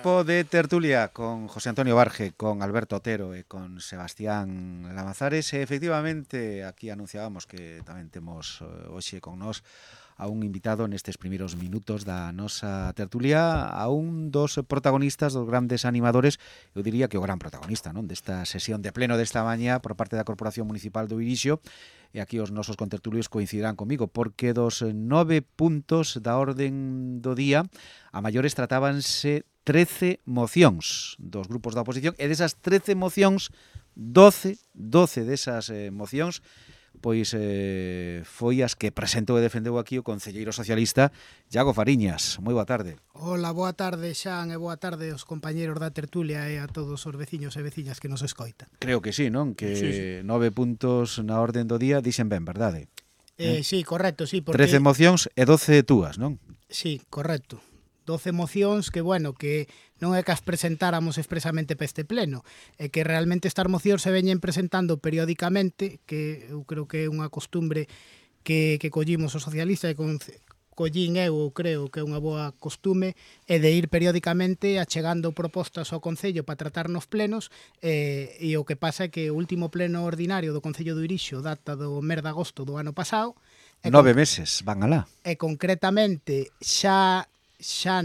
tempo de tertulia con José Antonio Barge, con Alberto Otero e con Sebastián Lamazares. E efectivamente, aquí anunciábamos que tamén temos hoxe con nós a un invitado nestes primeiros minutos da nosa tertulia, a un dos protagonistas, dos grandes animadores, eu diría que o gran protagonista, non, desta sesión de pleno desta mañá por parte da Corporación Municipal do Irixo. E aquí os nosos contertulios coincidirán comigo, porque dos 9 puntos da orden do día, a maiores tratábanse 13 mocións dos grupos da oposición, e desas 13 mocións, 12 desas mocións, pois foi as que presentou e defendeu aquí o concelleiro socialista Iago Fariñas. Moi boa tarde. Hola, boa tarde, Xan, e boa tarde aos compañeros da tertulia e a todos os veciños e veciñas que nos escoitan. Creo que sí, non? Que sí. 9 puntos na orden do día dixen ben, verdade? Sí, correcto, sí. Porque... 13 mocións e 12 túas, non? Sí, correcto. 12 mocións que, bueno, que non é que as presentáramos expresamente para este pleno, é que realmente estas mocións se veñen presentando periódicamente, que eu creo que é unha costumbre que collimos os socialistas e collín eu creo que é unha boa costume, é de ir periódicamente achegando propostas ao Concello para tratar nos plenos, e o que pasa é que o último pleno ordinario do Concello do Irixo data do mes de agosto do ano pasado. 9 meses, van alá. E concretamente xa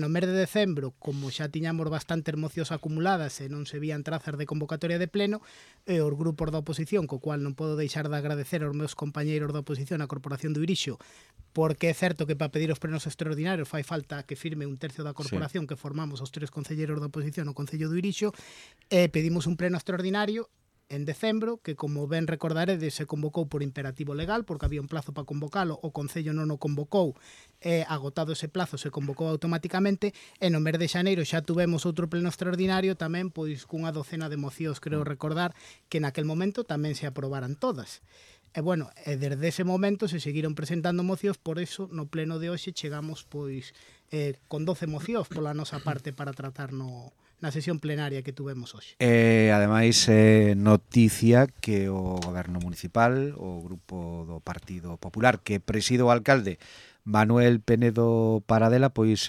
no mes de decembro, como xa tiñamos bastantes mocións acumuladas e non se vían trazas de convocatoria de pleno, e os grupos da oposición, co cual non podo deixar de agradecer aos meus compañeiros da oposición a Corporación do Irixo, porque é certo que para pedir os plenos extraordinarios fai falta que firme un tercio da corporación, sí, que formamos os tres concelleiros da oposición no Concello do Irixo, e pedimos un pleno extraordinario en decembro, que como ben recordaredes se convocou por imperativo legal, porque había un plazo para convocalo, o Concello non o convocou, e agotado ese plazo se convocou automáticamente, e no mes de xaneiro xa tuvemos outro pleno extraordinario tamén, pois cunha docena de mocións, creo recordar, que naquel momento tamén se aprobaran todas. E bueno, e desde ese momento se seguiron presentando mocións, por eso no pleno de hoxe chegamos pois con 12 mocións pola nosa parte para tratar na sesión plenaria que tuvemos hoxe. Ademais, noticia que o Goberno Municipal, o grupo do Partido Popular, que preside o alcalde Manuel Penedo Paradela, pois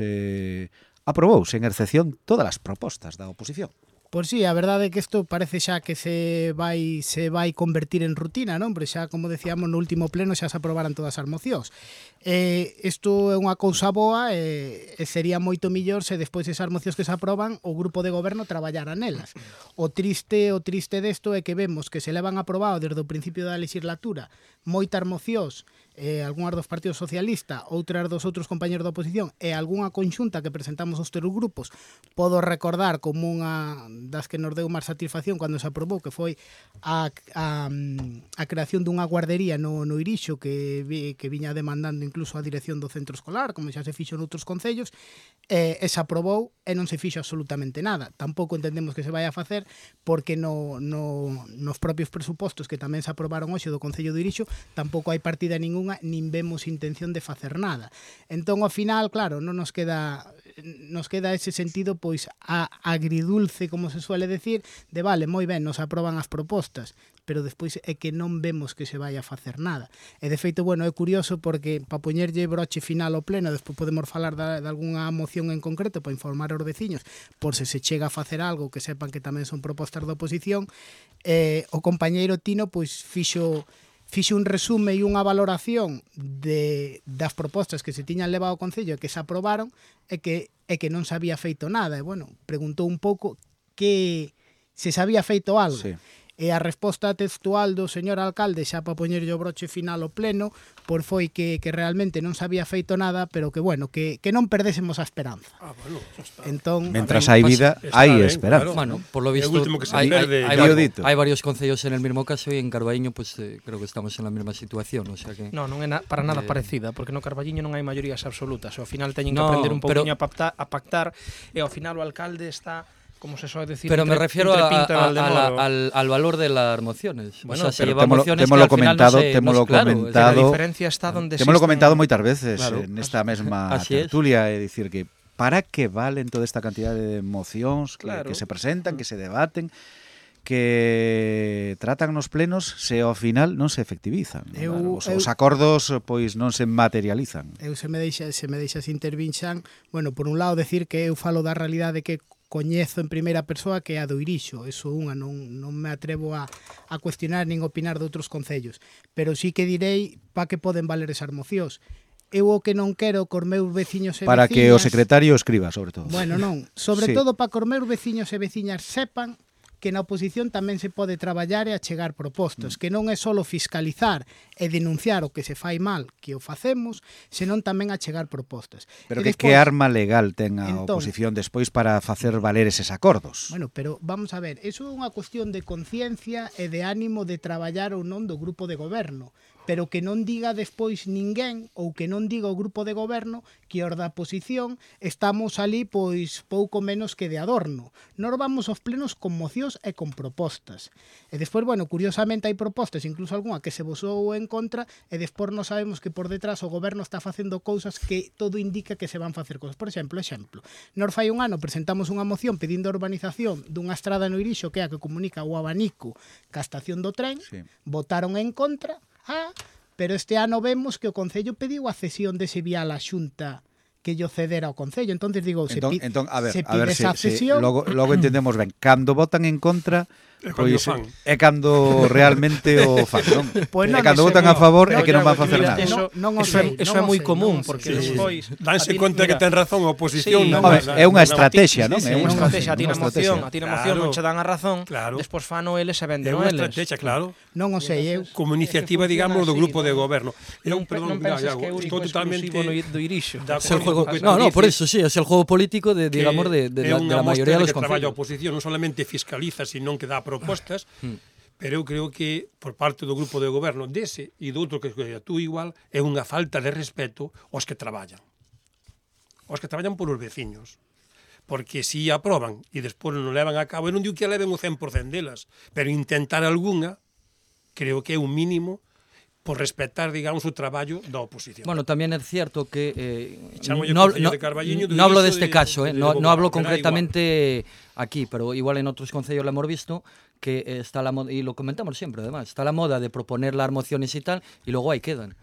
aprobou, sen excepción, todas as propostas da oposición. Pois sí, a verdade é que isto parece xa que se vai convertir en rutina, non? Porque xa, como decíamos, no último pleno xa se aprobaran todas as mocións. Isto é unha cousa boa e sería moito millor se despois esas mocións que se aproban o grupo de goberno traballara nelas. O triste desto é que vemos que se levan aprobado desde o principio da legislatura moitas mocións, algunhas dos partidos socialista, outras dos outros compañeros da oposición e algunha conxunta que presentamos os tres grupos. Podo recordar como unha das que nos deu máis satisfacción cando se aprobou, que foi a creación dunha guardería no Irixo que viña demandando incluso a dirección do centro escolar, como xa se fixo noutros concellos, e se aprobou e non se fixo absolutamente nada. Tampouco entendemos que se vai a facer porque nos propios presupostos que tamén se aprobaron hoxe do Concello do Irixo tampouco hai partida ninguna, nin vemos intención de facer nada. Entón, ao final, claro, non nos queda ese sentido pois agridulce, como se suele decir, de vale, moi ben, nos aproban as propostas, pero despois é que non vemos que se vai a facer nada. E de feito, bueno, é curioso porque para poñerlle broche final ao pleno, despois podemos falar de algunha moción en concreto para informar aos veciños, por se chega a facer algo que sepan que tamén son propostas da oposición. O compañeiro Tino pois fixo un resume e unha valoración das propostas que se tiñan levado ao Concello e que se aprobaron e que non se había feito nada. E, bueno, preguntou un pouco que se había feito algo. Sí. E a resposta textual do señor alcalde, xa para poñerlle o broche final ao pleno, pois foi que realmente non se había feito nada, pero que, bueno, que non perdésemos a esperanza. Bueno, está. Entón, mentras hai vida, hai esperanza. Claro. Bueno, por lo visto, hay varios concellos en el mismo caso y en Carballiño pues creo que estamos en la misma situación, o sea que... Non é para nada parecida, porque no Carballiño non hai maiorías absolutas, ao final teñen que aprender un pouquinho a pactar, e ao final o alcalde está... como se suele decir, pero me refiero al valor de las mociones. Bueno, o sea, se llevan mociones que al final no claro, la diferencia está donde te hemos comentado moitas veces, claro, en esta mesma tertulia, é dicir que para que valen toda esta cantidad de mocións que se presentan, que se debaten, que tratan nos plenos se ao final non se efectivizan. Os acordos pois non se materializan. Se me deixas intervinxan, bueno, por un lado decir que eu falo da realidade que coñezo en primeira persoa que é a do Irixo, eso unha, non me atrevo a cuestionar nin opinar de outros concellos, pero sí que direi pa que poden valer esas mocións. Eu o que non quero cos meus veciños e veciñas... Para que o secretario escriba, sobre todo. Bueno, non, sobre todo para que os meus veciños e veciñas sepan que na oposición tamén se pode traballar e achegar propostas, que non é só fiscalizar e denunciar o que se fai mal, que o facemos, senón tamén achegar propostas. Pero que arma legal ten a oposición despois para facer valer eses acordos? Bueno, pero vamos a ver, iso é unha cuestión de conciencia e de ánimo de traballar ou non do grupo de goberno, pero que non diga despois ninguén ou que non diga o grupo de goberno que os da oposición estamos ali pois pouco menos que de adorno. Nós vamos aos plenos con mocións e con propostas. E despois, bueno, curiosamente hai propostas, incluso algunha que se vosou en contra, e despois non sabemos que por detrás o goberno está facendo cousas que todo indica que se van facer cousas. Por exemplo, nós fai un ano presentamos unha moción pedindo a urbanización dunha estrada no Irixo que é a que comunica o Abanico ca estación do tren, votaron en contra. Pero este ano vemos que o Concello pediu a cesión dese vial á Xunta que lle cedera ao Concello. Entonces digo, se pide esa cesión... Logo entendemos ben, cando votan en contra... Pois é cando realmente o fan, non? É cando votan a favor é que non van facer nada. Eso é moi común, porque despois danse conta que ten razón a oposición. É unha estrategia, non? É unha estrategia, a ti na moción non che dan a razón, despois fano eles e venden eles. É unha estrategia, claro. Non o sei, eu... Como iniciativa, digamos, do grupo de goberno. Non pensas que é único exclusivo do Irixo. No, por eso sí, é o juego político de, digamos, de la mayoría de los concellos. Traballo a oposición non solamente fiscaliza, sino que dá propostas, pero eu creo que por parte do grupo de goberno dese e do outro que tú igual é unha falta de respeto aos que traballan. Aos que traballan polos veciños. Porque si aproban e despois non levan a cabo, eu non digo que leven o 100% delas, pero intentar algunha, creo que é un mínimo por respetar, digamos, o traballo da oposición. Bueno, tamén é cierto que no hablo deste caso, no hablo concretamente aquí, pero igual en outros concellos lo hemos visto, que está la moda, y lo comentamos siempre además, está la moda de proponer las mociones y tal, y luego ahí quedan.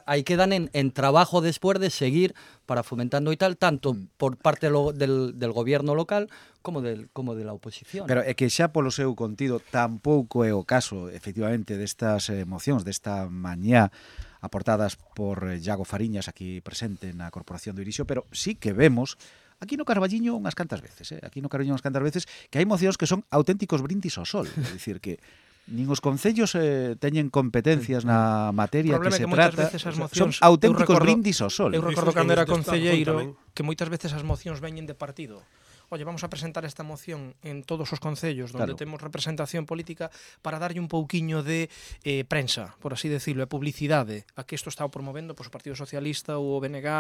Ahí quedan en trabajo después de seguir para fomentando y tal, tanto por parte del gobierno local como de la oposición. Pero é que xa polo seu contido tampouco é o caso, efectivamente, destas mocións, desta mañá aportadas por Iago Fariñas aquí presente na Corporación do Irixo, pero sí que vemos aquí no Carballiño unhas cantas veces, que hai mocións que son auténticos brindis ao sol, é dicir que nin os concellos teñen competencias na materia que se trata, son auténticos brindis ao sol. Eu recordo cando era concelleiro que moitas veces as mocións veñen de partido. Oye, vamos a presentar esta moción en todos os concellos donde temos representación política para darlle un pouquiño de prensa, por así decirlo, e publicidade a que isto está promovendo o Partido Socialista ou o BNG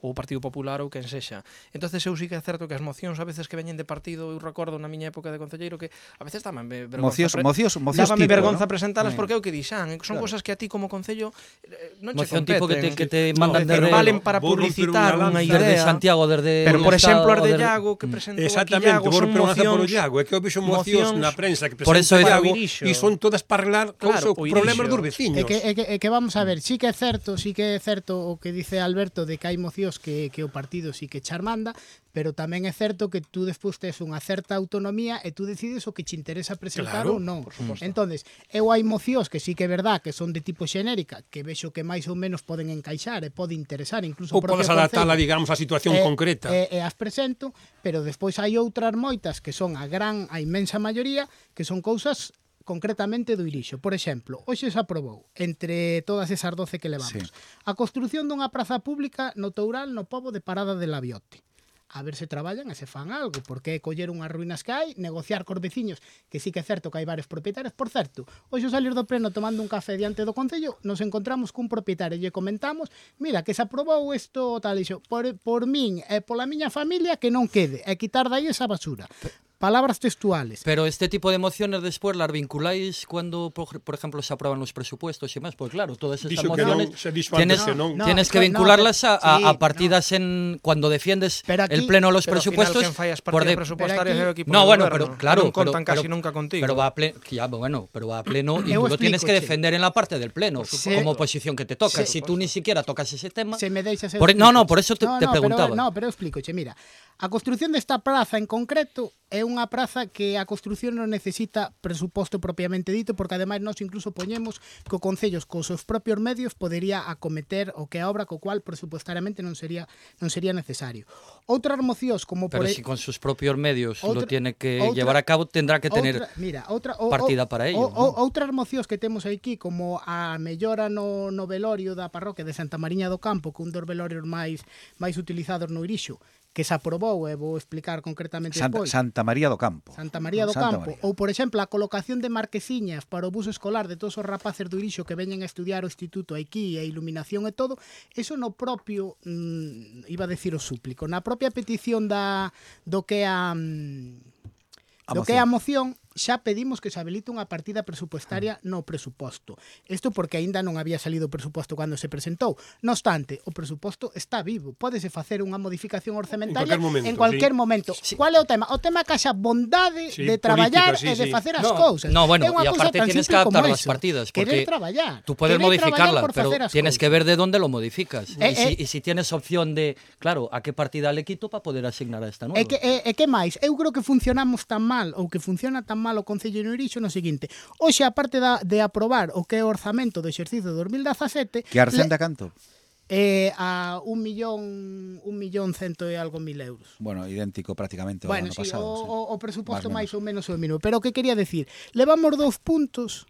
ou o Partido Popular ou quen sexa. Entonces eu sí que é certo que as mocións a veces que veñen de partido, eu recordo na miña época de concelleiro que a veces dábame vergonza presentalas porque é o que dixan, son cosas que a ti como concello non che competen, que te mandan valen para publicitar unha idea desde Santiago, desde pero por exemplo as de Iago que exactamente, vos preguntar por o Iago, é que eu vexo mocións na prensa que presenta o Iago e son todas para arreglar problemas dos veciños. É que vamos a ver, sí que é certo o que dice Alberto de que hai mocións que o partido sí que charmanda, pero tamén é certo que tú despois tes unha certa autonomía e tú decides o que che interesa presentar ou non. Entonces, eu hai mocións que sí que é verdad que son de tipo xenérica, que vexo que máis ou menos poden encaixar e pode interesar, incluso ou podes adaptala, digamos, a situación concreta. E as presento, pero despois hai outras moitas que son a inmensa maioría, que son cousas concretamente do Irixo. Por exemplo, hoxe se aprobou, entre todas esas 12 que levamos, a construción dunha praza pública no Toural, no pobo de Parada de Labiote. A ver se traballan e se fan algo, porque é coller unhas ruínas que hai, negociar cos veciños, que sí que é certo que hai varios propietarios. Por certo, hoxe salir do pleno tomando un café diante do Concello, nos encontramos cun propietario e lle comentamos, mira, que se aprobou isto tal e xo, por min e pola miña familia que non quede, e quitar dai esa basura. Palabras textuales. Pero este tipo de mociones después las vinculáis cuando, por ejemplo, se aprueban los presupuestos y más, pues claro, todas estas mociones tienes que vincularlas a partidas en cuando defiendes aquí, el pleno de los presupuestos. No, bueno, pero claro, no contan casi nunca contigo. Pero va a pleno y tú lo tienes que defender en la parte del pleno como oposición que te toca. Si tú ni siquiera tocas ese tema. Se me deixas por eso te preguntaba. Pero explico, mira. A construción desta praza en concreto é unha praza que a construción non necesita presuposto propiamente dito, porque ademais nós incluso poñemos que o Concello cos seus propios medios podería acometer o que a obra, co cual presupuestariamente non sería necesario. Outras mocións como Pero si con sus propios medios lo tiene que llevar a cabo, tendrá que tener partida para ello. Outras mocións que temos aquí, como a mellora no velorio da parroquia de Santa Mariña do Campo, que un dos velorios máis utilizados no Irixo, que se aprobou, e vou explicar concretamente despois. Santa María do Campo. Santa María do Campo. Ou, por exemplo, a colocación de marquesiñas para o bus escolar de todos os rapaces do Irixo que veñen a estudiar o instituto aquí, a iluminación e todo, eso no propio, iba a decir o súplico, na propia petición do que é a moción, xa pedimos que se habilite unha partida presupuestaria no presuposto. Isto porque aínda non había salido o presuposto cando se presentou. No obstante, o presuposto está vivo. Pódese facer unha modificación orzamentaria en cualquier momento. Sí. Qual é o tema? O tema é que haxa bondade de traballar e de facer as cousas. No, bueno, e aparte tienes que adaptar las partidas. Porque tú puedes modificarla, pero tienes que ver de dónde lo modificas. Y si tienes opción de, claro, a qué partida le quito para poder asignar a esta nueva. E que máis? Eu creo que funcionamos tan mal, ou que funciona tan mal o Concello de Irixo no seguinte: hoxe, a parte de aprobar o que é o orzamento do exercicio de 2017, que arcenda canto? A 1.100.000 e algo mil euros. Bueno, idéntico prácticamente ao ano pasado. O presuposto máis ou menos o mínimo. Pero o que quería decir, levamos 2 puntos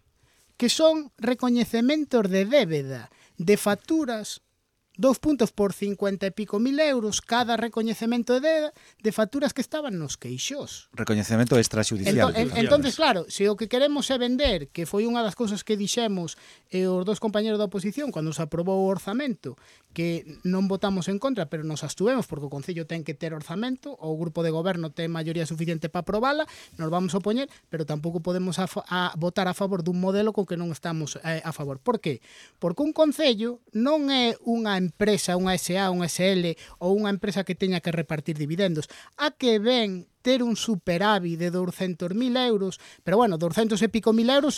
que son recoñecementos de débeda, de facturas, 2 puntos por 50 e pico mil euros cada recoñecemento de facturas que estaban nos queixos. Recoñecemento extrajudicial. Entonces, claro, se o que queremos é vender, que foi unha das cousas que dixemos os dos compañeros da oposición cando se aprobou o orzamento, que non votamos en contra, pero nos abstuvemos porque o Concello ten que ter orzamento, o grupo de goberno ten maioría suficiente para aprobala, nos vamos a opoñer, pero tampouco podemos votar a favor dun modelo co que non estamos a favor. Por qué? Porque un Concello non é unha empresa, unha SA, unha SL ou unha empresa que teña que repartir dividendos. A que ven ter un superávit de 200.000 euros, pero bueno, 200 e pico mil euros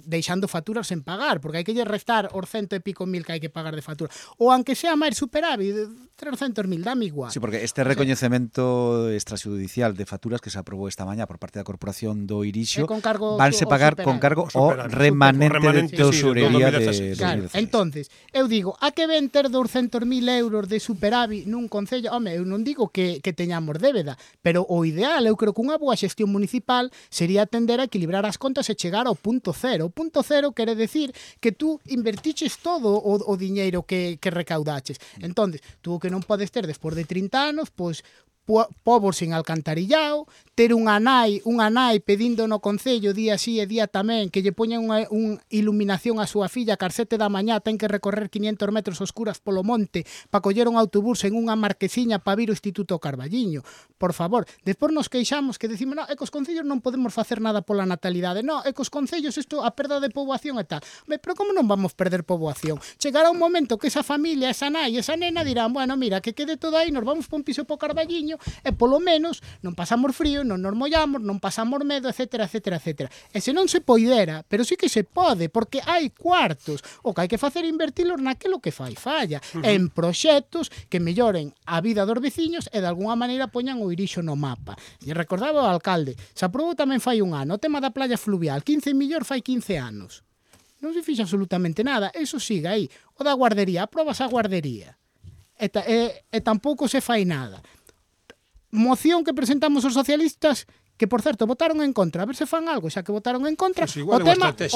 deixando facturas sen pagar, porque hai que lle restar os 100 e pico mil que hai que pagar de factura. Ou aunque sea máis superávit, 300.000, dame igual. Sí, porque este recoñecemento extrajudicial de facturas que se aprobou esta mañá por parte da Corporación do Irixo vanse pagar con cargo ao remanente de tesorería de 2016. Entonces, eu digo, a que ven ter 200.000 euros de superávit nun concello? Home, eu non digo que teñamos débeda, pero o ideal, eu creo que unha boa xestión municipal sería tender a equilibrar as contas e chegar ao punto cero. O punto cero quere decir que tú invertiches todo o diñeiro que recaudaches. Entonces, tú o que non podes ter despois de 30 anos, pois pobos sin alcantarillao, ter unha nai pedindo no Concello día sí e día tamén que lle poñan unha iluminación a súa filla que ás 7 da mañá ten que recorrer 500 metros oscuras polo monte para coller un autobús en unha marquesiña para vir ao Instituto Carballiño. Por favor, despois nos queixamos que decimos, no, é que os concellos non podemos facer nada pola natalidade. No, é que os concellos isto a perda de poboación e tal. Pero como non vamos perder poboación? Chegará un momento que esa familia, esa nai, esa nena dirán, bueno, mira, que quede todo aí, nos vamos por un piso po Carballiño e polo menos non pasamos frío, non nos mollamos, non pasamos medo, etcétera, etcétera, etcétera. E se non se poidera, pero sí que se pode, porque hai cuartos. O que hai que facer é invertilos naquilo que fai falla, en proxectos que melloren a vida dos veciños e de alguna maneira poñan o Irixo no mapa. E recordaba o alcalde, se aprobou tamén fai un ano, o tema da playa fluvial, 15 millóns fai 15 anos. Non se fixa absolutamente nada, eso sigue aí. O da guardería, aprobas a guardería. E tampouco se fai nada. Moción que presentamos os socialistas, que por certo votaron en contra, a ver se fan algo, xa que votaron en contra, pues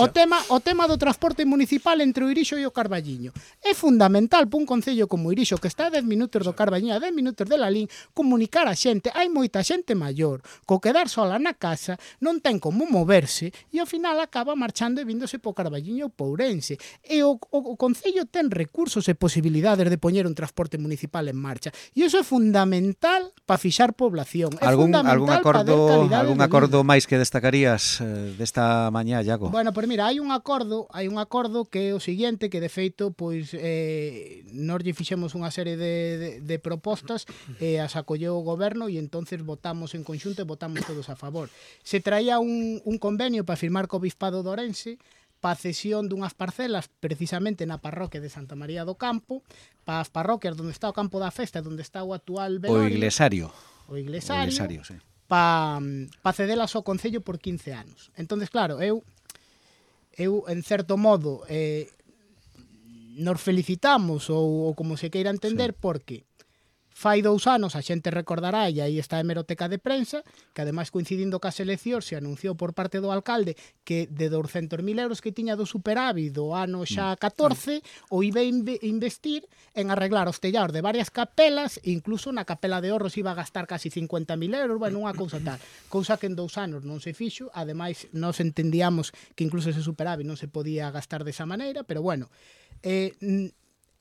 o tema do transporte municipal entre o Irixo e o Carballiño. É fundamental para un concello como o Irixo, que está a 10 minutos do Carballiño, a 10 minutos de Lalín, comunicar a xente. Hai moita xente maior, co quedar sola na casa, non ten como moverse, e ao final acaba marchando e víndose po Carballiño ou Pourense. E o concello ten recursos e posibilidades de poñer un transporte municipal en marcha. E iso é fundamental para fixar población. É fundamental para dar algún acordo máis que destacarías desta mañá, Iago? Bueno, pois mira, hai un acordo que é o seguinte, que de feito, pois nós lle fixemos unha serie de propostas e as acolleu o goberno e entonces votamos en conxunto e votamos todos a favor. Se traía un convenio para firmar co Bispado de Ourense para a cesión dunhas parcelas precisamente na parroquia de Santa María do Campo, para as parroquias onde está o campo da festa, onde está o actual velorio. O iglesario. o Iglesario sí. pa cedelas ao Concello por 15 anos. Entonces, claro, eu en certo modo, nos felicitamos ou como se queira entender, porque fai 2 anos a xente recordará, e aí está a hemeroteca de prensa, que ademais coincidindo cas eleccións se anunciou por parte do alcalde que de 200.000 euros que tiña do superávit do ano xa 14 o iba a investir en arreglar os tellados de varias capelas, incluso na capela de Orros iba a gastar casi 50.000 euros, bueno, unha cousa tal, cousa que en 2 anos non se fixo, ademais nos entendíamos que incluso ese superávit non se podía gastar desa maneira, pero bueno,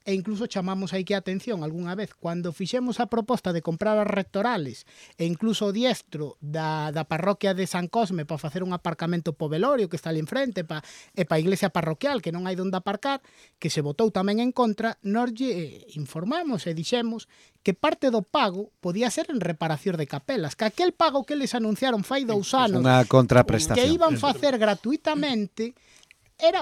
e incluso chamamos aí que a atención algunha vez cando fixemos a proposta de comprar as rectorales e incluso o diestro da parroquia de San Cosme para facer un aparcamento po velorio que está ali enfrente e pa iglesia parroquial que non hai onde aparcar, que se votou tamén en contra, nos informamos e dixemos que parte do pago podía ser en reparación de capelas, que aquel pago que les anunciaron fai 2 anos unha contraprestación que iban facer gratuitamente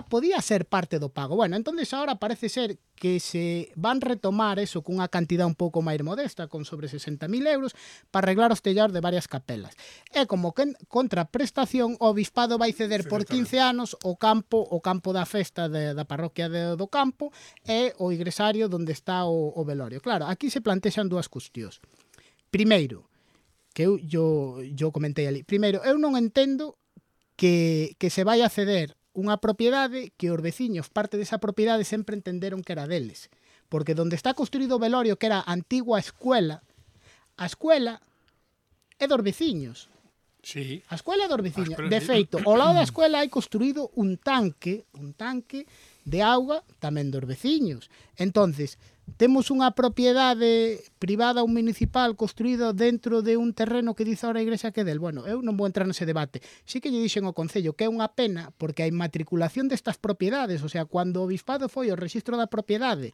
podía ser parte do pago. Bueno, entonces ahora parece ser que se van retomar eso cunha cantidad un pouco máis modesta, con sobre 60.000 euros, para arreglar os tellados de varias capelas. E como que contraprestación, o Obispado vai ceder por 15 anos o campo da festa da parroquia do campo e o igresario onde está o velorio. Claro, aquí se plantexan 2 cuestións. Primeiro, que eu comentei ali. Primeiro, eu non entendo que se vai a ceder unha propiedade que os veciños, parte desa propiedade, sempre entenderon que era deles. Porque onde está construído o velorio, que era a antigua escuela, a escuela é dos veciños. Sí. A escuela é dos veciños. De feito, ao lado da escuela hai construído un tanque de auga tamén dos veciños. Entonces, temos unha propiedade privada ou municipal construído dentro de un terreno que dice ahora a Igrexa que é del. Bueno, eu non vou entrar nese debate. Sí que lle dixen ao Concello que é unha pena porque a inmatriculación destas propiedades, o sea, cando o Obispado foi ao rexistro da propiedade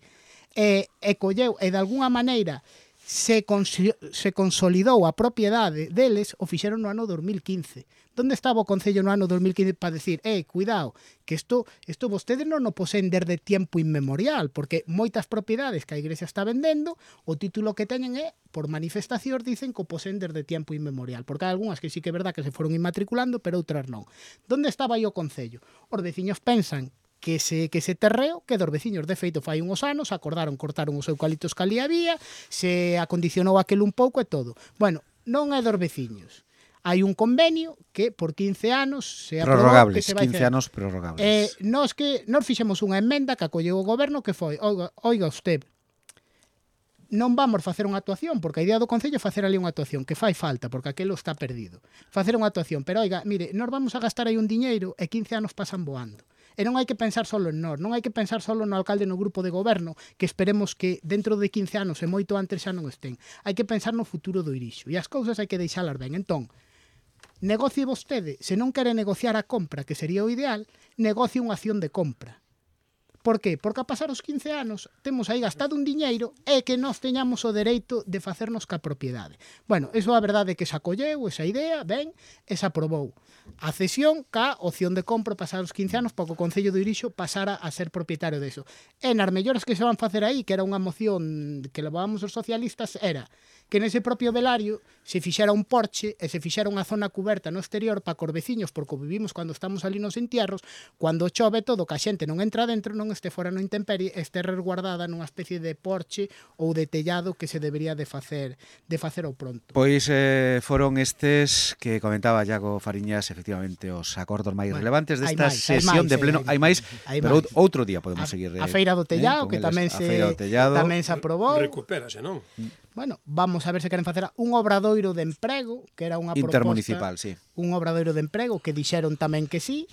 e colleu e de alguna maneira se consolidou a propiedade deles, o fixeron no ano 2015. Onde estaba o Concello no ano 2015 para decir, cuidado, que isto vostedes non o poseen desde tiempo inmemorial, porque moitas propiedades que a Igrexa está vendendo, o título que teñen é, por manifestación, dicen que o poseen desde tiempo inmemorial, porque hai algunhas que sí que é verdad que se foron inmatriculando, pero outras non. Onde estaba aí o Concello? Os veciños pensan que ese terreo que dos veciños, de feito, fai uns anos, acordaron cortaron os eucaliptos que ali había, se acondicionou aquel un pouco e todo. Bueno, non é dos veciños. Hai un convenio que por 15 anos se aprobou que se vai 15 anos prorrogables. Nos fixemos unha emenda que acolleu o goberno que foi, oiga usted, non vamos facer unha actuación, porque a idea do Concello é facer ali unha actuación, que fai falta, porque aquelo está perdido. Facer unha actuación, pero oiga, mire, nos vamos a gastar aí un diñeiro e 15 anos pasan voando. E non hai que pensar solo en nós, non hai que pensar solo no alcalde no grupo de goberno, que esperemos que dentro de 15 anos e moito antes xa non estén. Hai que pensar no futuro do Irixo, e as cousas hai que deixalas ben. Entón, negocie vostede, se non quere negociar a compra, que sería o ideal, negocie unha acción de compra. Por qué? Porque a pasar os 15 anos temos aí gastado un diñeiro e que nós teñamos o dereito de facernos ca propiedade. Bueno, iso a verdade é que se acolleu esa idea, ben, e se aprobou a cesión ca opción de compra pasar os 15 anos para que o Concello do Irixo pasara a ser propietario deso. E nas melloras que se van facer aí, que era unha moción que levábamos os socialistas, era que nese propio velario se fixera un porche e se fixera unha zona cuberta no exterior para cos veciños, porque vivimos cando estamos ali nos entierros, cando chove todo, que a xente non entra dentro, non este fora no intemperie, este resguardada nunha especie de porche ou de tellado que se debería de facer ao pronto. Pois foron estes que comentaba Iago Fariñas, efectivamente, os acordos máis relevantes desta sesión de pleno. Hai máis, pero outro día podemos seguir. A Feira do Tellado, que tamén se aprobou. Recupérase, non? Bueno, vamos a ver se queren facer un obradoiro de emprego, que era unha proposta intermunicipal, sí. Un obradoiro de emprego que dixeron tamén que sí.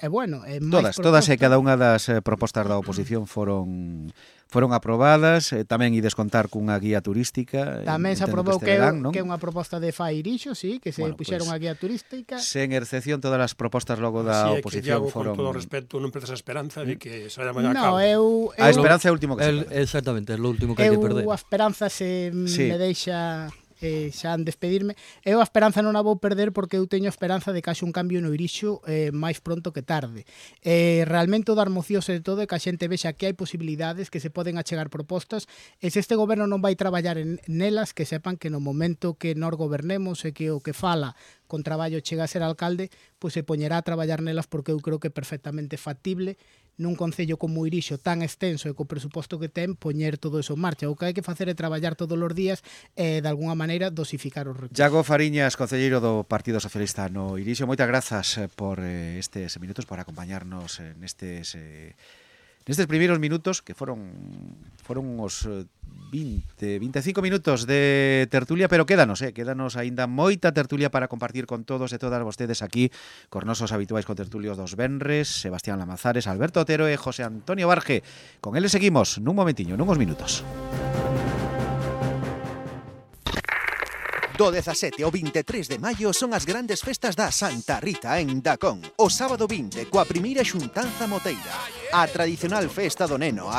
Bueno, todas e cada unha das propostas da oposición foron aprobadas, tamén ides contar cunha guía turística. Tamén se aprobou que é unha proposta de Fai Irixo, sí, que se puxeron a guía turística. Sen excepción, todas as propostas logo da oposición foron... Con todo respeto, non perdes a esperanza de que se vaya a cabo. A esperanza é o último que se perde. Exactamente, é o último que hai que perder. A esperanza me deixa xa en despedirme. Eu a esperanza non a vou perder porque eu teño esperanza de que haxe un cambio no Irixo máis pronto que tarde. Realmente o dar mocións e todo é que a xente vexa que hai posibilidades, que se poden achegar propostas, e se este goberno non vai traballar nelas, que sepan que no momento que nós gobernemos e que o que fala con traballo chega a ser alcalde, pois se poñerá a traballar nelas, porque eu creo que é perfectamente factible nun concello como o Irixo tan extenso e co presuposto que ten, poñer todo eso en marcha. O que hai que facer é traballar todos os días e, de alguna maneira, dosificar os recursos. Iago Fariñas, concelleiro do Partido Socialista no Irixo, moitas grazas por estes minutos, por acompañarnos nestes primeiros minutos, que foron os 25 minutos de tertulia, pero quédanos aínda moita tertulia para compartir con todos e todas vostedes aquí, cos nosos habituais contertulios dos venres, Sebastián Lamazares, Alberto Otero e José Antonio Barge. Con eles seguimos nun momentiño, nuns minutos. Do 17 ao 23 de maio son as grandes festas da Santa Rita en Dacón. O sábado 20, coa primeira xuntanza moteira. A tradicional festa do neno,